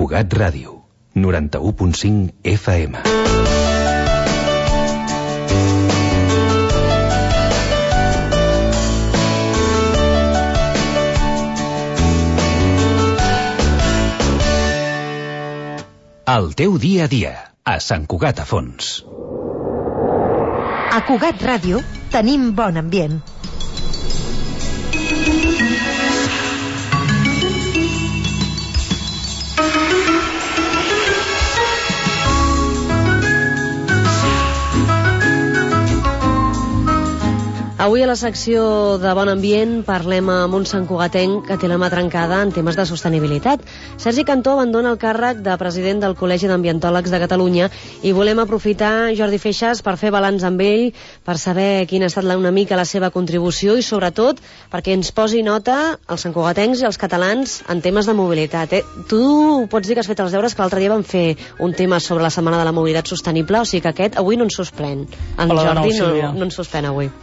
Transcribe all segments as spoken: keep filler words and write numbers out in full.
Cugat Ràdio, noranta-u punt cinc F M. El teu dia a dia, a Sant Cugat a Fons. A Cugat Ràdio tenim bon ambient. Avui a la secció de Bon Ambient parlem amb un santcugatenc que té la mà trencada en temes de sostenibilitat. Sergi Cantó abandona el càrrec de president del Col·legi d'Ambientòlegs de Catalunya i volem aprofitar, Jordi Feixas, per fer balanç amb ell, per saber quina ha estat una mica la seva contribució i sobretot perquè ens posi nota els santcugatencs i els catalans en temes de mobilitat. Eh? Tu pots dir que has fet els deures, que l'altre dia vam fer un tema sobre la Setmana de la Mobilitat Sostenible, o sigui que aquest avui no ens suspèn. En Hola, Jordi nou, no, no ens suspèn avui.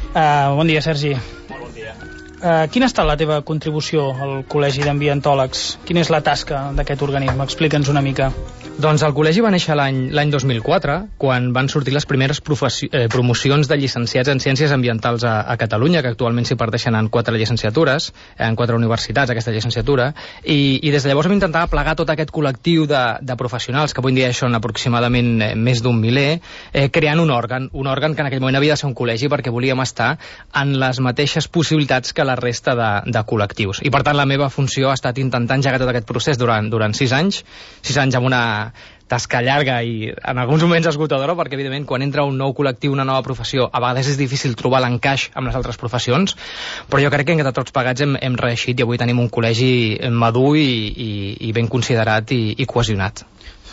Uh, bon dia, Sergi. Molt bon dia. Uh, quina ha estat la teva contribució al Col·legi d'Ambientòlegs? Quina és la tasca d'aquest organisme? Explica'ns una mica. Doncs el col·legi va néixer l'any dos mil quatre, quan van sortir les primeres eh, promocions de llicenciats en Ciències Ambientals a, a Catalunya, que actualment s'hi parteixen en quatre llicenciatures, en quatre universitats, aquesta llicenciatura, i, i des de llavors vam intentar plegar tot aquest col·lectiu de, de professionals, que avui en dia són aproximadament eh, més d'un miler, eh, creant un òrgan, un òrgan que en aquell moment havia de ser un col·legi perquè volíem estar en les mateixes possibilitats que la resta de, de col·lectius. I per tant la meva funció ha estat intentar engegar tot aquest procés durant, durant sis anys, sis anys amb una tasca llarga i en alguns moments esgotadora, perquè evidentment quan entra un nou col·lectiu, una nova professió, a vegades és difícil trobar l'encaix amb les altres professions, però jo crec que entre tots plegats hem, hem reeixit i avui tenim un col·legi madur i, i, i ben considerat i, i cohesionat.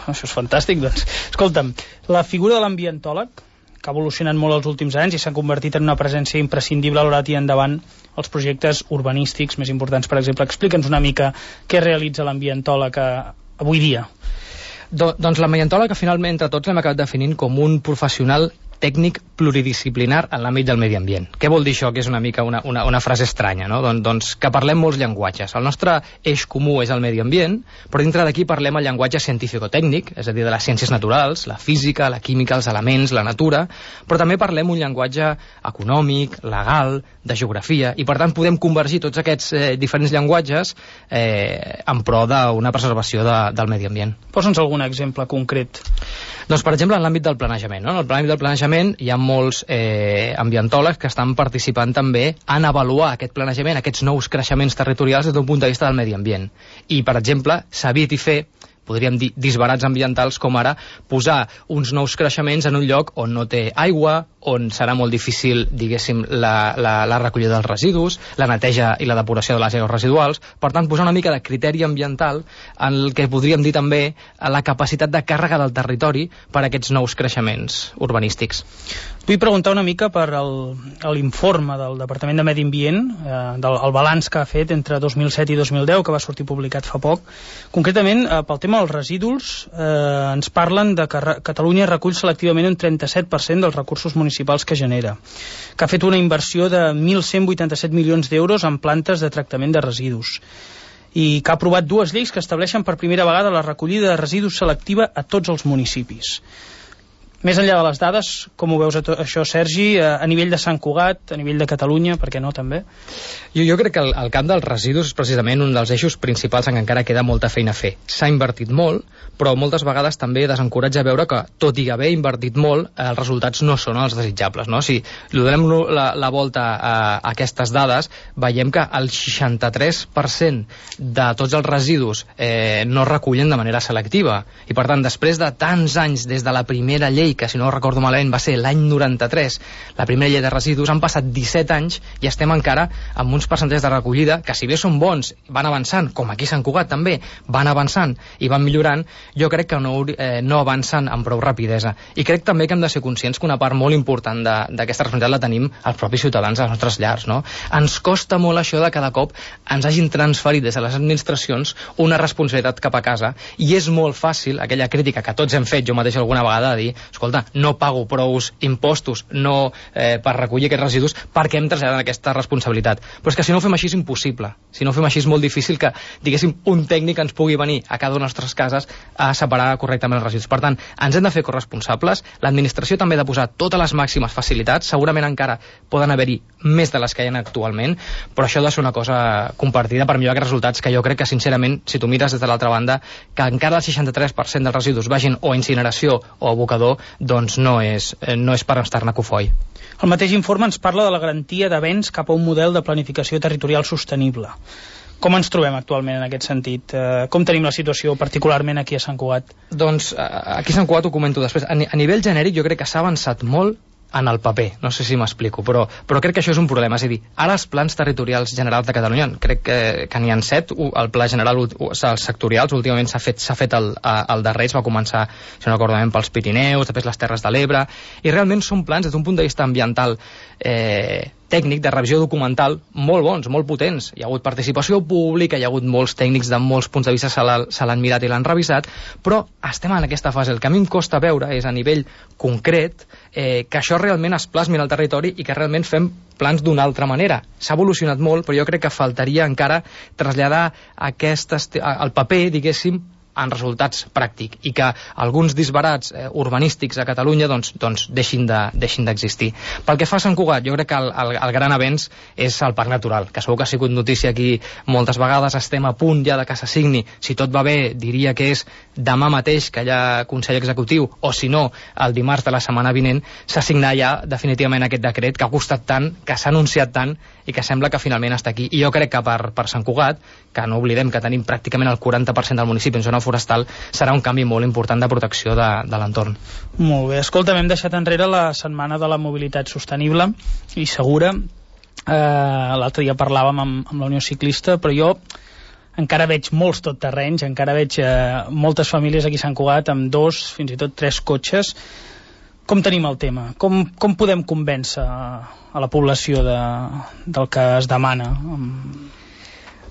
Això és fantàstic, doncs. Escolta'm, la figura de l'ambientòleg, que ha evolucionat molt els últims anys i s'ha convertit en una presència imprescindible a l'hora de tirar endavant els projectes urbanístics més importants, per exemple. Explica'ns una mica què realitza l'ambientòleg avui dia. Do, doncs l'ambientòleg que finalment entre tots l'hem acabat definint com un professional tècnic pluridisciplinar en l'àmbit del medi ambient. Què vol dir això? Que és una mica una, una, una frase estranya, no? Don, doncs que parlem molts llenguatges. El nostre eix comú és el medi ambient, però dintre d'aquí parlem el llenguatge científico-tècnic, és a dir, de les ciències naturals, la física, la química, els elements, la natura, però també parlem un llenguatge econòmic, legal, de geografia, i per tant podem convergir tots aquests eh, diferents llenguatges eh, en pro d'una preservació de, del medi ambient. Posa'ns algun exemple concret. Doncs, per exemple, en l'àmbit del planejament. No? En el l'àmbit del planejament hi ha molts eh, ambientòlegs que estan participant també en avaluar aquest planejament, aquests nous creixements territorials des d'un punt de vista del medi ambient. I, per exemple, s'ha vist i fer, podríem dir, disbarats ambientals, com ara posar uns nous creixements en un lloc on no té aigua, on serà molt difícil, diguéssim, la, la, la recollida dels residus, la neteja i la depuració de les aigües residuals. Per tant, posar una mica de criteri ambiental en el que podríem dir també la capacitat de càrrega del territori per a aquests nous creixements urbanístics. Vull preguntar una mica per l'informe del Departament de Medi Ambient, eh, del el balanç que ha fet entre dos mil set i dos mil deu, que va sortir publicat fa poc. Concretament, eh, pel tema dels residus, eh, ens parlen de que Catalunya recull selectivament un trenta-set per cent dels recursos municipals que genera, que ha fet una inversió de mil cent vuitanta-set milions d'euros en plantes de tractament de residus i que ha aprovat dues lleis que estableixen per primera vegada la recollida de residus selectiva a tots els municipis. Més enllà de les dades, com ho veus això, Sergi, a nivell de Sant Cugat, a nivell de Catalunya, per què no, també? Jo, jo crec que el, el camp dels residus és precisament un dels eixos principals en què encara queda molta feina a fer. S'ha invertit molt, però moltes vegades també desencoratja veure que, tot i haver invertit molt, els resultats no són els desitjables, no? Si donem la, la volta a, a aquestes dades, veiem que el seixanta-tres per cent de tots els residus eh, no recullen de manera selectiva. I, per tant, després de tants anys des de la primera llei, que si no recordo malament va ser l'any noranta-tres, la primera llei de residus, han passat disset anys i estem encara amb uns percentatges de recollida que, si bé són bons, van avançant, com aquí a Sant Cugat també, van avançant i van millorant, jo crec que no, eh, no avancen amb prou rapidesa. I crec també que hem de ser conscients que una part molt important d'aquesta responsabilitat la tenim els propis ciutadans de les nostres llars, no? Ens costa molt això de cada cop ens hagin transferit des de les administracions una responsabilitat cap a casa, i és molt fàcil, aquella crítica que tots hem fet, jo mateix alguna vegada, de dir, escolta, no pago prous impostos no, eh, per recollir aquests residus, perquè hem traslladat aquesta responsabilitat. Però és que si no ho fem així és impossible. Si no ho fem així és molt difícil que, diguéssim, un tècnic ens pugui venir a cada una de les nostres cases a separar correctament els residus. Per tant, ens hem de fer corresponsables, l'administració també ha de posar totes les màximes facilitats, segurament encara poden haver-hi més de les que hi ha actualment, però això ha de ser una cosa compartida per millorar aquests resultats, que jo crec que, sincerament, si tu mires des de l'altra banda, que encara el seixanta-tres per cent dels residus vagin o a incineració o a abocador, doncs no és, no és per estar-ne cofoi. El mateix informe ens parla de la garantia d'avenç cap a un model de planificació territorial sostenible. Com ens trobem actualment en aquest sentit? Eh, com tenim la situació particularment aquí a Sant Cugat? Doncs aquí a Sant Cugat ho comento després. A, a nivell genèric jo crec que s'ha avançat molt en el paper, no sé si m'explico, però, però crec que això és un problema. És a dir, ara els plans territorials generals de Catalunya, crec que, que n'hi ha set, el pla general, els sectorials, últimament s'ha fet, s'ha fet el, el darrer, es va començar, si no recordo bé, pels Pirineus, després les Terres de l'Ebre, i realment són plans des d'un punt de vista ambiental eh, tècnic, de revisió documental, molt bons, molt potents. Hi ha hagut participació pública, hi ha hagut molts tècnics de molts punts de vista, se l'han mirat i l'han revisat, però estem en aquesta fase. El que a mi em costa veure és a nivell concret eh, que això realment es plasmi en el territori i que realment fem plans d'una altra manera. S'ha evolucionat molt, però jo crec que faltaria encara traslladar aquest al paper, diguéssim, en resultats pràctics, i que alguns disbarats eh, urbanístics a Catalunya doncs, doncs deixin de, deixin d'existir. Pel que fa a Sant Cugat, jo crec que el, el, el gran avenç és el Parc Natural, que segur que ha sigut notícia aquí moltes vegades, estem a punt ja de que s'assigni, si tot va bé diria que és demà mateix que hi ha Consell Executiu, o si no, el dimarts de la setmana vinent, s'assignarà ja definitivament aquest decret que ha costat tant, que s'ha anunciat tant i que sembla que finalment està aquí. I jo crec que per, per Sant Cugat, que no oblidem que tenim pràcticament el quaranta per cent del municipi en zona forestal, serà un canvi molt important de protecció de, de l'entorn. Molt bé, escolta, hem deixat enrere la setmana de la mobilitat sostenible i segura. Eh, l'altre dia parlàvem amb, amb la Unió Ciclista, però jo encara veig molts tot terrenys, encara veig eh, moltes famílies aquí a Sant Cugat amb dos, fins i tot tres cotxes. Com tenim el tema? Com, com podem convèncer a la població de, del que es demana?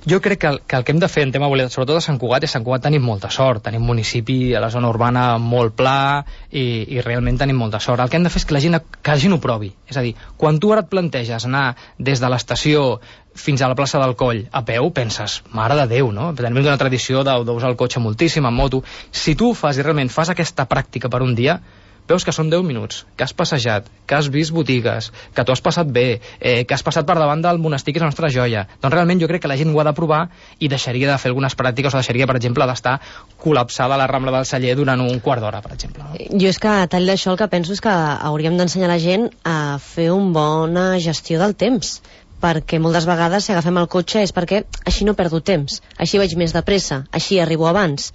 Jo crec que el, que el que hem de fer en tema de mobilitat, sobretot a Sant Cugat, és a Sant Cugat tenim molta sort, tenim municipi a la zona urbana molt pla i, i realment tenim molta sort. El que hem de fer és que la gent, que la gent ho provi. És a dir, quan tu ara et planteges anar des de l'estació fins a la plaça del Coll a peu, penses, mare de Déu, no? Tenim una tradició d'usar el cotxe moltíssim, en moto. Si tu ho fas i realment fas aquesta pràctica per un dia, veus que són deu minuts, que has passejat, que has vist botigues, que t'ho has passat bé, eh, que has passat per davant del monestir, que és la nostra joia. Doncs realment jo crec que la gent ho ha de provar i deixaria de fer algunes pràctiques, o deixaria, per exemple, d'estar col·lapsada a la Rambla del Celler durant un quart d'hora, per exemple. No? Jo és que, a tall d'això, el que penso és que hauríem d'ensenyar la gent a fer una bona gestió del temps, perquè moltes vegades si agafem el cotxe és perquè així no perdo temps, així vaig més de pressa, així arribo abans.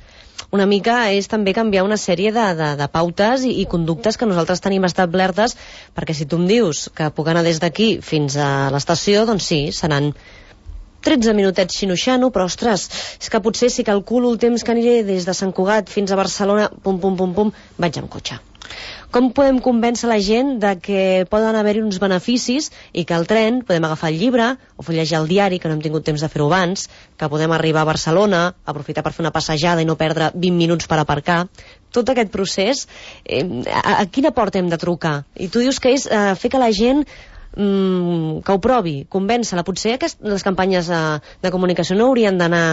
Una mica és també canviar una sèrie de, de, de pautes i, i conductes que nosaltres tenim establertes, perquè si tu em dius que puc anar des d'aquí fins a l'estació, doncs sí, seran tretze minutets xinoxano, però ostres, és que potser si calculo el temps que aniré des de Sant Cugat fins a Barcelona, pum, pum, pum, pum, vaig amb cotxe. Com podem convèncer la gent de que poden haver-hi uns beneficis i que al tren podem agafar el llibre o fullejar el diari, que no hem tingut temps de fer-ho abans, que podem arribar a Barcelona, aprofitar per fer una passejada i no perdre vint minuts per aparcar. Tot aquest procés, eh, a, a quina porta hem de trucar? I tu dius que és eh, fer que la gent mm, que ho provi, convèncer-la. Potser aquest, les campanyes eh, de comunicació no haurien d'anar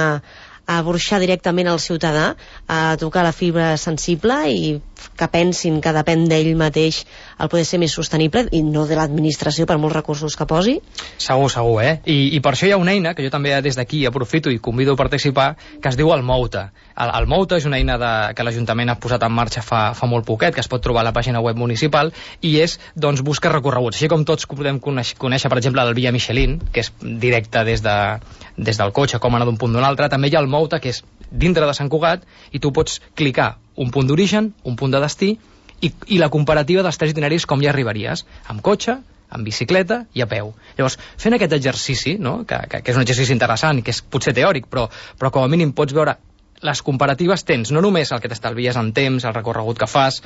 a burxar directament al ciutadà, a tocar la fibra sensible i que pensin que depèn d'ell mateix el poder ser més sostenible i no de l'administració per molts recursos que posi? Segur, segur, eh? I, i per això hi ha una eina que jo també des d'aquí aprofito i convido a participar, que es diu el Mouta. El, el Mouta és una eina de, que l'Ajuntament ha posat en marxa fa, fa molt poquet, que es pot trobar a la pàgina web municipal, i és, doncs, busca recorreguts. Així com tots podem conèixer, conèixer per exemple, el Via Michelin, que és directe des, de, des del cotxe, com anar d'un punt d'un altre. També hi ha el Mouta, que és dintre de Sant Cugat, i tu pots clicar un punt d'origen, un punt de destí, i, i la comparativa dels tres itineraris com hi arribaries, amb cotxe, amb bicicleta i a peu. Llavors, fent aquest exercici, no? que, que, que és un exercici interessant, que és potser teòric, però, però com a mínim pots veure les comparatives, tens no només el que t'estalvies en temps, el recorregut que fas,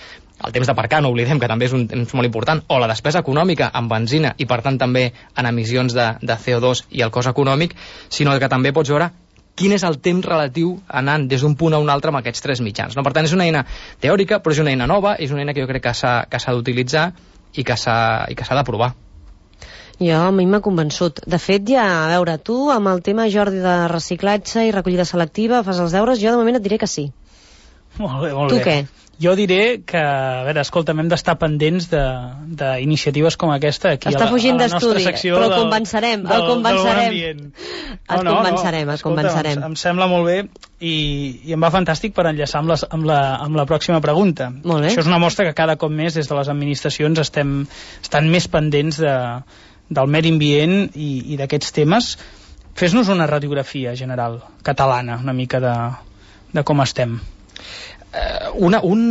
el temps d'aparcar, no oblidem que també és un temps molt important, o la despesa econòmica en benzina i per tant també en emissions de, de C O dos i el cost econòmic, sinó que també pots veure quin és el temps relatiu anant des d'un punt a un altre amb aquests tres mitjans. No? Per tant, és una eina teòrica, però és una eina nova, és una eina que jo crec que s'ha que s'ha d'utilitzar i que s'ha i que s'ha d'aprovar. Jo, a mi m'ha convençut. De fet, ja, a veure, tu amb el tema, Jordi, de reciclatge i recollida selectiva, fas els deures, jo de moment et diré que sí. Molt bé, molt tu bé. què? Jo diré que, a veure, escolta'm, hem d'estar pendents d'iniciatives com aquesta aquí Està a la, fugint a la nostra d'estudi, secció però el del, convencerem, del, el convencerem. Del Et no, convencerem, no, et convencerem. Em, em sembla molt bé i, i em va fantàstic per enllaçar amb, les, amb, la, amb la pròxima pregunta. Molt bé. Això és una mostra que cada cop més des de les administracions estem estan més pendents de, del medi ambient i, i d'aquests temes. Fes-nos una radiografia general catalana, una mica de, de com estem. Uh, una, un...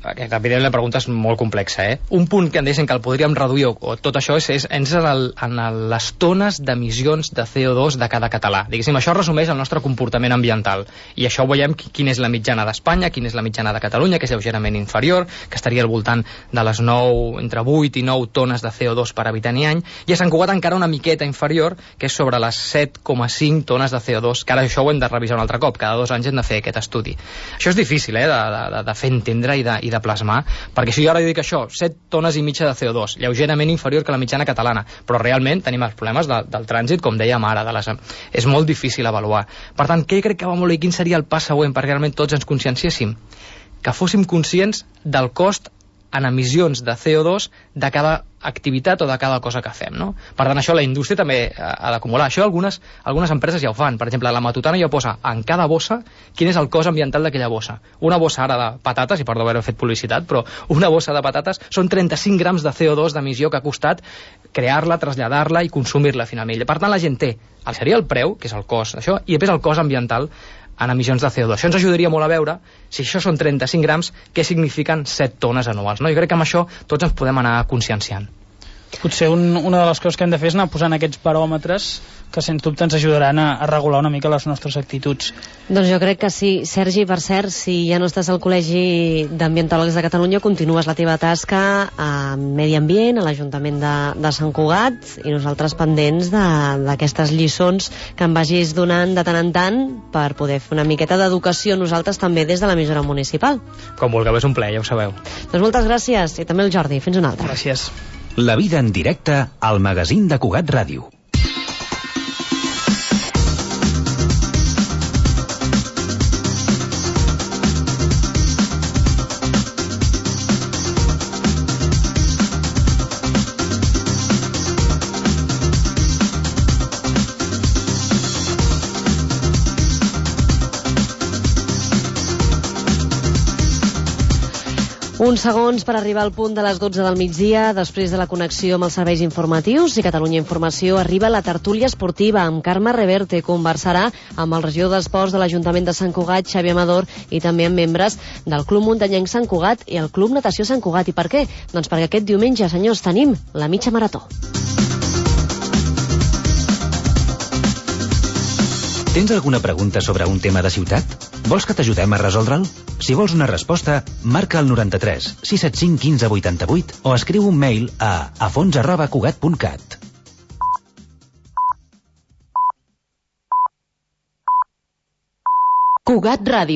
Evidentment la pregunta és molt complexa, eh? Un punt que em deixen que el podríem reduir o, o tot això és, és, és en, el, en el, les tones d'emissions de C O dos de cada català. Diguéssim, això resumeix el nostre comportament ambiental. I això veiem quina és la mitjana d'Espanya, quina és la mitjana de Catalunya, que és lleugerament inferior, que estaria al voltant de les nou, entre vuit i nou tones de C O dos per habitant i any, i a Sant Cugat encara una miqueta inferior, que és sobre les set coma cinc tones de C O dos, que ara això ho hem de revisar un altre cop, cada dos anys hem de fer aquest estudi. Això és difícil, eh, de, de, de fer entendre i de, i de plasmar, perquè si jo ara dic això, set tones i mitja de C O dos, lleugerament inferior que la mitjana catalana, però realment tenim els problemes de, del trànsit, com dèiem ara, de les, és molt difícil avaluar. Per tant, què crec que va molt bé? Quin seria el pas següent perquè realment tots ens conscienciéssim? Que fóssim conscients del cost en emissions de C O dos de cada activitat o de cada cosa que fem, no? Per tant, això la indústria també ha d'acumular. Això algunes, algunes empreses ja ho fan. Per exemple, la Matutana ja posa en cada bossa quin és el cost ambiental d'aquella bossa. Una bossa ara de patates, i perdó haver fet publicitat, però una bossa de patates són trenta-cinc grams de C O dos d'emissió que ha costat crear-la, traslladar-la i consumir-la finalment. Per tant, la gent té el seria el preu, que és el cost d'això, i després el cost ambiental en emissions de C O dos. Això ens ajudaria molt a veure si això són trenta-cinc grams, què signifiquen set tones anuals. No? Jo crec que amb això tots ens podem anar conscienciant. Potser un, una de les coses que hem de fer és anar posant aquests baròmetres que sens dubte ens ajudaran a, a regular una mica les nostres actituds. Doncs jo crec que sí. Sergi, per cert, si ja no estàs al Col·legi d'Ambientòlegs de Catalunya, continues la teva tasca a Medi Ambient, a l'Ajuntament de, de Sant Cugat, i nosaltres pendents d'aquestes lliçons que em vagis donant de tant en tant per poder fer una miqueta d'educació nosaltres també des de l'emissora municipal. Com vulgueu, és un plaer, ja ho sabeu. Doncs moltes gràcies, i també el Jordi. Fins una altra. Gràcies. La vida en directe al magazín de Cugat Ràdio. Uns segons per arribar al punt de les dotze del migdia, després de la connexió amb els serveis informatius i Catalunya Informació, arriba la tertúlia esportiva amb Carme Reverte. Conversarà amb el regidor d'Esports de l'Ajuntament de Sant Cugat, Xavi Amador, i també amb membres del Club Muntanyenc Sant Cugat i el Club Natació Sant Cugat. I per què? Doncs perquè aquest diumenge, senyors, tenim la mitja marató. Tens alguna pregunta sobre un tema de ciutat? Vols que t'ajudem a resoldre'l? Si vols una resposta, marca el noranta-tres sis set cinc quinze vuitanta-vuit o escriu un mail a afons arroba cugat punt cat. Cugat Ràdio.